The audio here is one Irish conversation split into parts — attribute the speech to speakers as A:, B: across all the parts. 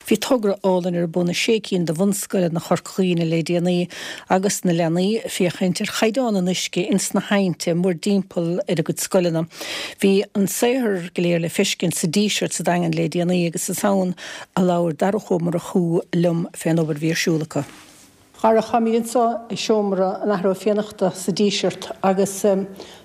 A: Bhí togra álainn ar bun i sé cinn de bhunscoileanna Chorca Dhuibhne le déanaí agus na leanaí ag féachaint ar chaighdeán an uisce ins na haibhnte mórdtimpeall ar a gcuid scoileanna. Bhí an saothar go léir le feiscint sa Díseart sa Daingean le déanaí agus is ann a labhair Darach Ó Murchú liom fén obair a bhí ar siúl acu. Dharach, táimid anseo i seomra an Athar Ó Fiannachta sa Díseart agus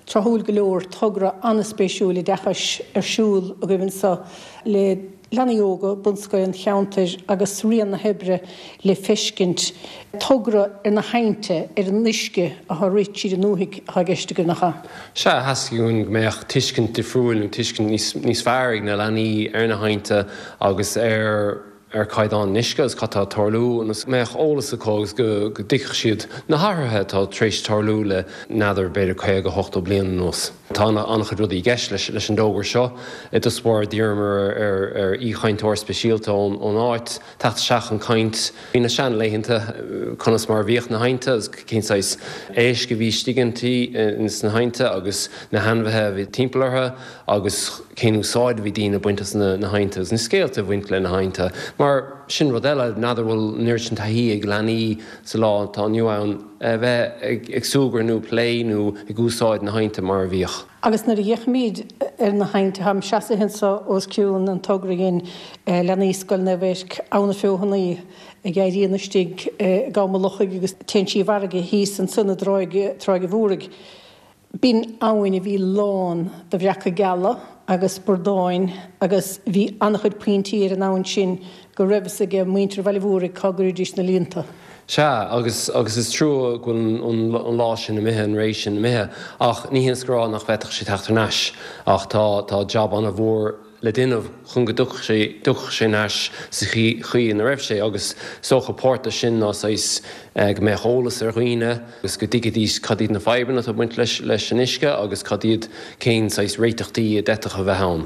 A: tráthúil go leor, togra an-spéisiúil oideachais ar siúl agaibh anseo le leanaí óga bunscoile an cheantair agus rian na hoibre le feiscint. Togra ar na haibhnte, ar an uisce atá ag rith tríd an ndúthaigh atá i gceist agaibh, nach ea?
B: Sea, theastaigh uainn go mbeadh tuiscint difriúil nó tuiscint níos fearr ag na leanaí ar na haibhnte agus ar ar chaighdeán an uisce agus cad tá ag tarlú ionas go mbeadh eolas acu agus go dtuigfeadh siad na hathruithe atá tar éis tarlú le n'fheadar b'fhéidir 50, 80 bliain anuas. Tá an-chuid rudaí i gceist leis an dtogra seo. I dtús báire d'iarramar ar aoichainteoir speisialta ón áit teacht isteach chun caint faoi na seanlaethanta, conas mar a bhíodh na haibhnte agus cén saghas éisc a bhí istigh ins na haibhnte agus na hainmhithe a bhí timpeall orthu. agus cén úsáid a bhí daoine ag baint as na haibhnte agus na scéalta a bhain le na haibhnte. Mar sin rud eile, n'fheadar bhfuil an oiread sin taithí ag leanaí sa lá atá inniu ann a bheith ag súgradh nó plé nó ag úsáid na haibhnte mar a bhíodh.
A: Agus nuair a fhéachaimid ar na haibhnte, táim seasaithe anseo os cionn an togra a dhein leanaí Scoil Naomh Eirc, Abha na Feothanaí, a éiríonn istigh i gCam an Lochaigh agus téann sí i bhfarraige thíos ansan i dTráigh an Mhúraigh. B'in abhainn a bhí lán de bhreaca geala agus bradáin agus bhí an-chuid pointí ar an abhainn sin go raibh fhios age muintir Bhaile Mhúraigh cá gcuiridís na líonta.
B: Sea, agus agus is trua go bhfuil an lá sin imithe, an ré sin imithe, ach ní hiontas go rá nach bhféadfadh sé teacht thar n-ais ach tá tá jab an-mhór le déanamh chun go dtiocfadh sé, dtiocfadh sé thar n-ais sa chaoi ina raibh sé agus is dócha páirt de sin ná saghas go mbeadh eolas ar dhaoine agus go dtuigfidís cad iad na fadhbanna atá ag baint leis, leis an uisce agus cad iad, cén saghas réiteachtaí a d'fhéadfadh a bheith ann.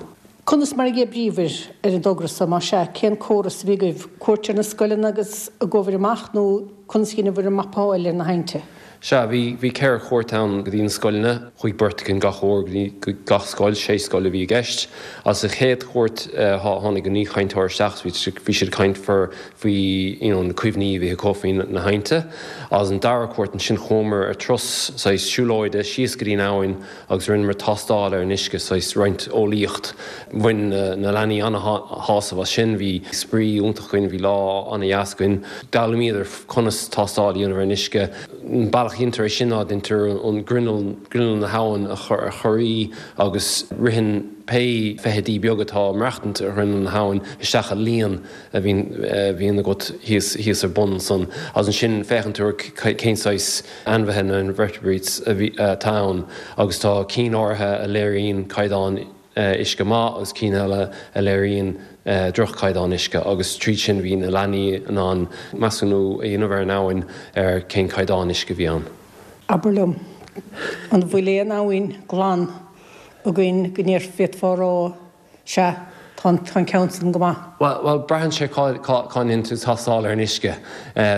A: Conas mar a dh'oibríobhair ar an dtogra so, más ea, cén córas a bhí agaibh, cuairt ar na scoileanna agus ag gabhair amach nó conas a dheineabhair an mapáil ar na haibhnte?
B: Sea, bhí, bhí 4 chuairt ann go dtí na scoileanna. Chuaigh beirt againn gach uair go dtí gach scoil, sé scoil a bhí i gceist. Agus sa chéad chuairt, tháinig an aoichainteoir isteach agus bhí siad ag caint faoi, you know, na cuimhní a bhí acu faoi na haibhnte. Agus an dara cuairt ansin chuamar ar turas saghas siúlóide síos go dtí an abhainn agus rinneamar tástáil ar an uisce, saghas roinnt eolaíocht. Bhain na leanaí an-shásamh as sin, bhí spraoi iontach againn, bhí lá an-dheas againn. D'fhoghlaimíodar conas tástáil a dhéanamh ar an uisce. An bealach a dhéantar é sin ná déantar an grinneall, grinneall na habhann a chorraí agus ritheann pé feithidí beaga atá ag maireachtaint ar ghrinneall na habhann isteach i líon a bhíonn, a bhíonn agat thíos, thíos ar bun ansan. Agus ansin féachann tú ar cén saghas ainmhithe nó invertebrates a bhí, atá ann agus tá cinn áirithe a léiríonn caighdeán uisce maith agus cinn eile a léiríonn droch-chaighdeán uisce agus tríd sin bhí na leanaí in ann measúnú a dhéanamh ar an abhainn ar cén caighdeán uisce a bhí ann.
A: Abair liom, an bhfuil aon abhainn glan againn go ndéarfá, a rá, sea, tá an ceann san go maith?
B: Bhuel, braitheann sé cá ndéanann tú tástáil ar an uisce.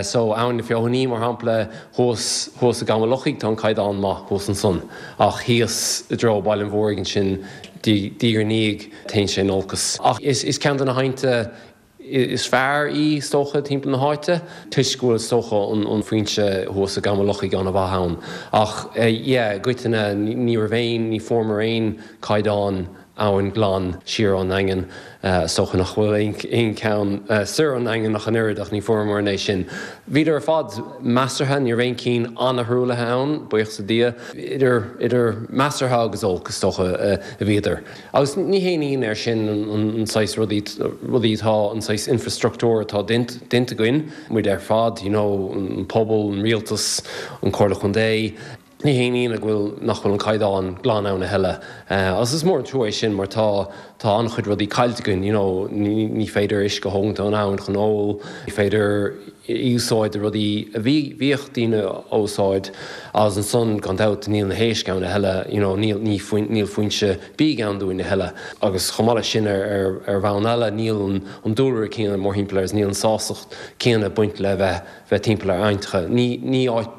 B: So, Abhainn na Feothanaí, mar shampla, thuas, thuas i gCam an Lochaigh, tá an caighdeán maith thuas ansan. Ach thíos i dtreo Baile an Mhúraigh ansin, diaidh ar ndiaidh, téann sé in olcas. Ach is ceann de na haibhnte is fearr í, is dócha, timpeall na háite, toisc go bhfuil, is dócha, an foinse thuas i gCam an Lochaigh an-mhaith ann. Ach, yeah, i gcoitinne, ní raibh aon, ní fuaireamar aon caighdeán abhainn glan siar ón nDaingean. Is dócha nach bhfuil aon cheann soir ón nDaingean ach an oiread, ach ní fuaireamar é sin. Bhíodar ar fad measartha, ní raibh aon chinn an-thruaillithe ann, buíochas le Dia. Idir, idir measartha agus olc, is dócha, a bhíodar. Agus ní haon ionadh é sin an saghas rudaí, rudaí atá, an saghas infreastruchtúr atá déanta againn, muid ar fad, you know, an pobal, an rialtas, an Chomhairle Chontae. Ní haon ionadh go bhfuil, nach bhfuil an caighdeán glan ann a thuilleadh. Agus is mór an trua é sin mar tá, tá an-chuid rudaí caillte againn, you know, ní, ní féidir uisce a thógaint ón abhainn chun ól, ní féidir í úsáid do rudaí a bhí, bhíodh daoine á úsáid agus ansan gan dabht níl na héisc ann a thuilleadh, you know, níl, ní, níl foinse bídh ann dúinn a thuilleadh. Agus chomh maith leis sin ar, ar, ar bhonn eile níl an, an dúlra céanna mórthimpeall air agus níl an sástacht céanna ag baint le bheith, bheith timpeall ar aibhnteacha. Ní, ní áit.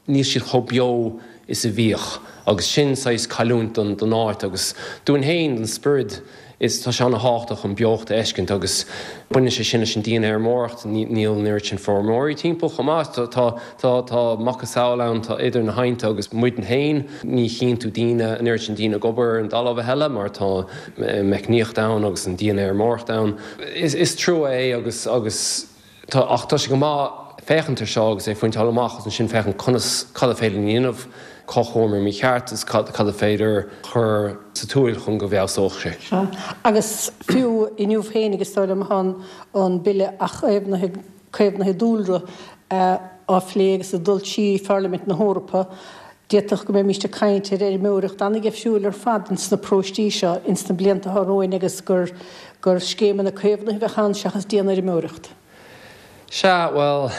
B: níl siad chomh beo is a bhíodh agus sin saghas cailliúint don áit agus dúinn féin, don spiorad. Is tá sé ana-thábhachtach an beocht a fheiscint agus baineann sé sin leis an dianfheirmeoireacht, níl an oiread sin feirmeoirí timpeall chomh maith. Tá tá tá macasamhail ann, tá idir na haibhnte agus muidne féin, ní chíonn tú daoine, an oiread sin daoine ag obair ar an dtalamh a thuilleadh mar tá meicníocht ann agus an dianfheirmeoireacht ann. Is is trua é agus agus. Tá, ach tá sé go maith féachaint ar seo agus é phointeáil amach agus ansin féachaint conas, cad a féidir linn a dhéanamh, cá chuamar mícheart agus cad, cad a féidir chur sa tsiúl chun go bhfeabhsódh sé.
A: Sea, agus fiú inniu féinig is dóigh liom tá an Bille Athchaomhnaithe, Caomhnaithe Dúlra á phlé agus ag dul trí Pharlaimint na hEorpa. D'fhéadfadh go mbeimíst ag caint ar fheirmeoireacht an-dheifriúil ar fad ins na paróistí seo ins na blianta atá romhainn agus gur gur scéimeanna caomhnaithe a bheadh ann seachas dianfheirmeoireacht.
B: Sea, bhuel,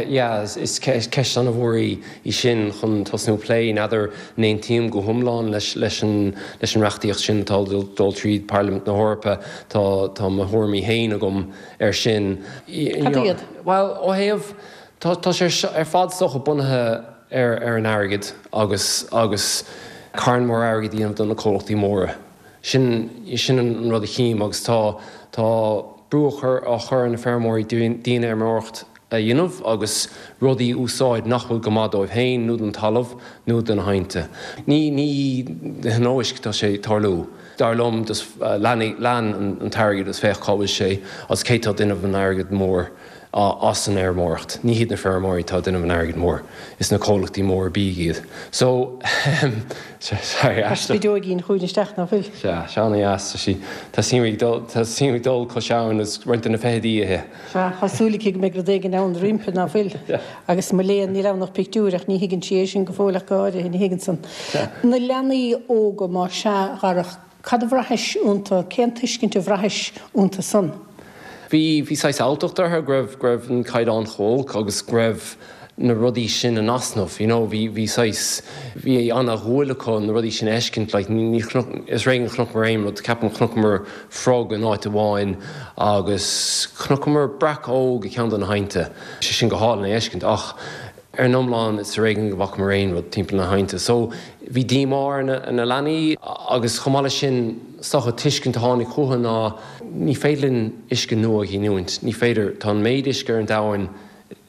B: yeah, is ceist an-mhór í í sin chun tosnú ag plé. N'fheadar an aontaím go hiomlán leis leis an leis an reachtaíocht sin atá ag dul tríd Pairlimint na hEorpa. Tá tá mo thuairimí féin agam air sin.
A: Cad iad?
B: Bhuel, ó thaobh, tá tá sé ar fad is dócha bunaithe ar ar an airgead agus agus carn mór airgid a dhéanamh do na comhlachtaí móra. Sin sin an rud a chím agus tá tá brú á chur á chur ar na feirmeoirí dianfheirmeoireacht a dhéanamh agus rudaí a úsáid nach bhfuil go maith dóibh féin nó don talamh nó do na haibhnte. Ní ní de thionóisc atá sé ag tarlú. Dar liom just lean lean an t-airgead agus féach cá bhfuil sé agus cé tá ag déanamh an airgead mór. as an fheirmeoireacht. Ní hiad na feirmeoirí atá ag déanamh an airgid mhóir, is na comhlachtaí móra bídh iad. So, sorry,
A: Tá spideoigín chugainn isteach, ná fuil?
B: Sea, sea, ana-dheas, tá sí, tá sí ag dul, tá sí ag dul cois abhann agus roinnt de na feithidí
A: ithe. Sea, tá súil aici go mbeidh rud éigin ann roimpi, ná fuil? Agus mo léan, níl ann ach pictiúr, ach ní thuigeann sí é sin go fóill ach go háirithe, ní thuigeann san. Na leanaí óga, má sea, a Dharach, Cad a bhraithis iontu? Cén tuiscint a bhraithis iontu san?
B: Bhí, bhí saghas alltacht orthu go raibh, go raibh an caighdeán chomh holc agus go raibh na rudaí sin in easnamh, you know, bhí, bhí saghas, bhí ana-dhúil acu na rudaí sin a fheiscint, like ní, ní chonac, is ar éigean a chonaiceamar aon rud, ceapaim chonaiceamar frog in áit amháin agus chonaiceamar breac óg i gceann de na haibhnte, sé sin go hálainn é a fheiscint ach Ar an iomlán, is ar éigean go bhfacamar aon rud timpeall na haibhnte. So, bhí díomá ar na leanaí agus chomh maith leis sin, is dócha, tuiscint a tháinig chucu ná ní féidir linn uisce nua a ghiniúint. Ní féidir. Tá an méid uisce ar an domhan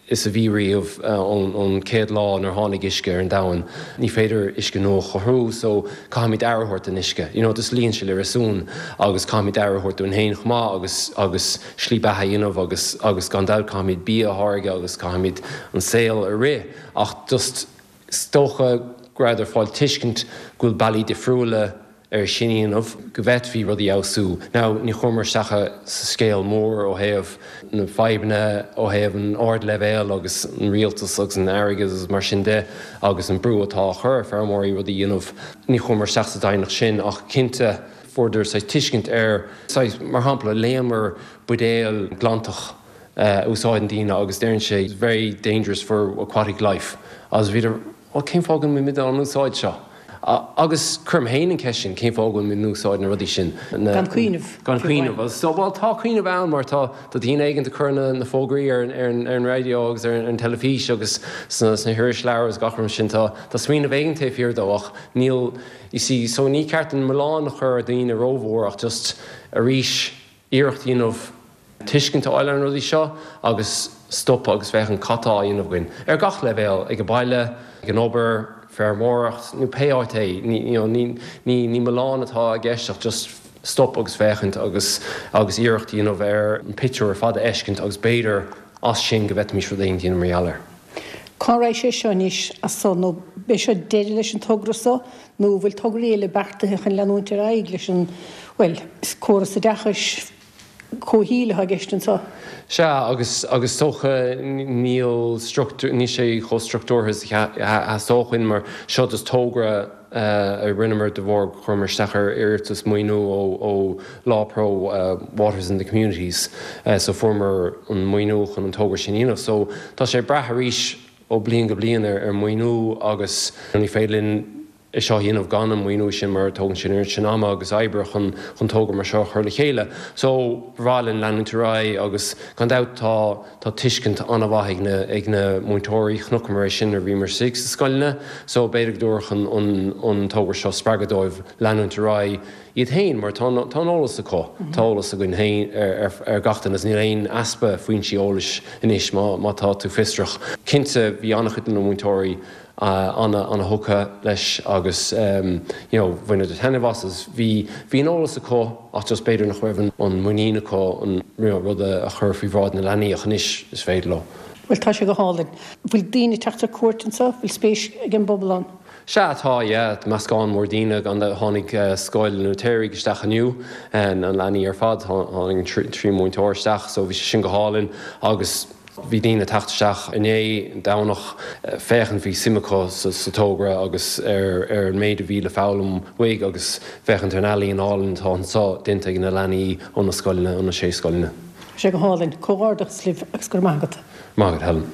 B: is a bhí riamh ón chéad lá nuair a tháinig uisce ar an domhan. Ní féidir uisce nua a chruthú so caithfimid aire a thabhairt don uisce. You know, just luíonn sé le réasún agus caithfimid aire a thabhairt dúinn féin chomh maith agus agus slí beatha a dhéanamh agus agus gan dabht caithfimid bia a tháirgeadh agus caithfimid an saol a rith ach just is dócha go rabhadar ag fáil tuiscint go bhfuil bealaí difriúla ar sin a dhéanamh, go bhféadfaí rudaí a fheabhsú. Now ní chuamar isteach sa scéal mór ó thaobh na fadhbanna ó thaobh an ardleibhéal agus an rialtas agus an airgead agus mar sin de agus an brú atá á chur ar feirmeoirí rudaí a dhéanamh. Ní chuamar isteach sa doimhneacht sin ach cinnte fuaireadar saghas tuiscint ar, saghas, mar shampla, léamar buidéal glantach a úsáideann daoine agus deireann sé it's very dangerous for aquatic life agus bhíodar, bhuel cén fáth go bhfuilimid á n-úsáid seo? Agus cuirim féin an ceist sin, cén fáth go bhfuilimid in úsáid na rudaí sin?
A: Gan cuimhneamh.
B: Gan cuimhneamh. Agus so, bhuel tá cuimhneamh ann mar tá daoine éigin ag cur na na fógraí ar ar an raidió agus ar an teilifís agus sna sna hirisleabhair agus gach rud mar sin. Tá tá smaoineamh éigin taobh thiar dó ach níl, you see, so ní ceart an milleán a chur ar daoine rómhór ach just arís iarracht a dhéanamh tuiscint a fháil ar na rudaí seo agus stopadh agus féachaint cad tá á dhéanamh againn ar gach leibhéal, ag an baile, ag an obair, feirmeoireacht nó pé áit é. Ní, you know, ní, ní, ní milleán atá i gceist ach just stop agus féachaint agus, agus iarracht a dhéanamh ar an pictiúr ar fad a fheiscint agus b'fhéidir as sin go bhféadfaimis rud éigin a dhéanamh mar gheall air.
A: Cá raghaidh sé seo anois as so nó b'é seo deireadh leis an togra so nó an bhfuil tograí eile beartaithe chun leanúint ar aghaidh leis an, bhuel, is córas oideachais comhshaoil atá i gceist anseo.
B: Sea, agus, agus is dócha níl struchtúr, níl sé chomh struchtúrtha is a theastódh uainn mar seo just togra a rinneamar de bharr gur chuireamar isteach ar iarratas maoiniú ó, ó LawPro Waters in the Communities so fuaireamar an maoiniú chun an togra sin a dhéanamh. So tá sé ag brath arís ó bliain go bliain ar, ar maoiniú agus ní féidir linn. é seo a dhéanamh gan an maoiniú sin mar tógann sé an oiread sin ama agus oibre chun chun togra mar seo a chur le chéile. So ba bhreá linn leanúint ar aghaidh agus gan dabht tá tá tuiscint an-mhaith ag na ag na múinteoirí, chonaiceamar é sin nuair a bhíomar istigh sna scoileanna so b'fhéidir go dtabharfadh an an an togra seo spreagadh dóibh leanúint ar aghaidh iad féin mar tá tá an eolas acu, tá eolas againn féin ar ar ar gach duine agus níl aon easpa foinsí eolais anois má má tá tú fiosrach. Cinnte bhí an-chuid de na múinteoirí an-ana-thógtha leis agus you know bhaineadar taitneamh as agus bhí bhí an eolas acu ach just b'fhéidir nach raibh an an muinín acu an you know rud a chur faoi bhráid na leanaí ach anois is féidir leo.
A: Bhuel tá sé go hálainn. Bhfuil daoine ag teacht ar cuairt anseo? Bhfuil spéis ag an bpobal ann?
B: Sea tá, yeah, meascán mór daoine gan dabht. Tháinig Scoil an Fhóitéaraigh isteach inniu, na leanaí ar fad, tháinig an triúr múinteoir isteach so bhí sé sin go hálainn agus Bhí daoine ag teacht isteach inné, Domhnach, féachaint, bhí suim acu sa togra agus ar an méid a bhí le foghlaim uaidh agus féachaint ar an ealaín álainn atá anseo déanta ag na leanaí ó na scoileanna, ó na sé scoileanna.
A: Tá sé go hálainn. Comhghairdeachas libh agus go raibh maith agat.
B: Maith agat Helen.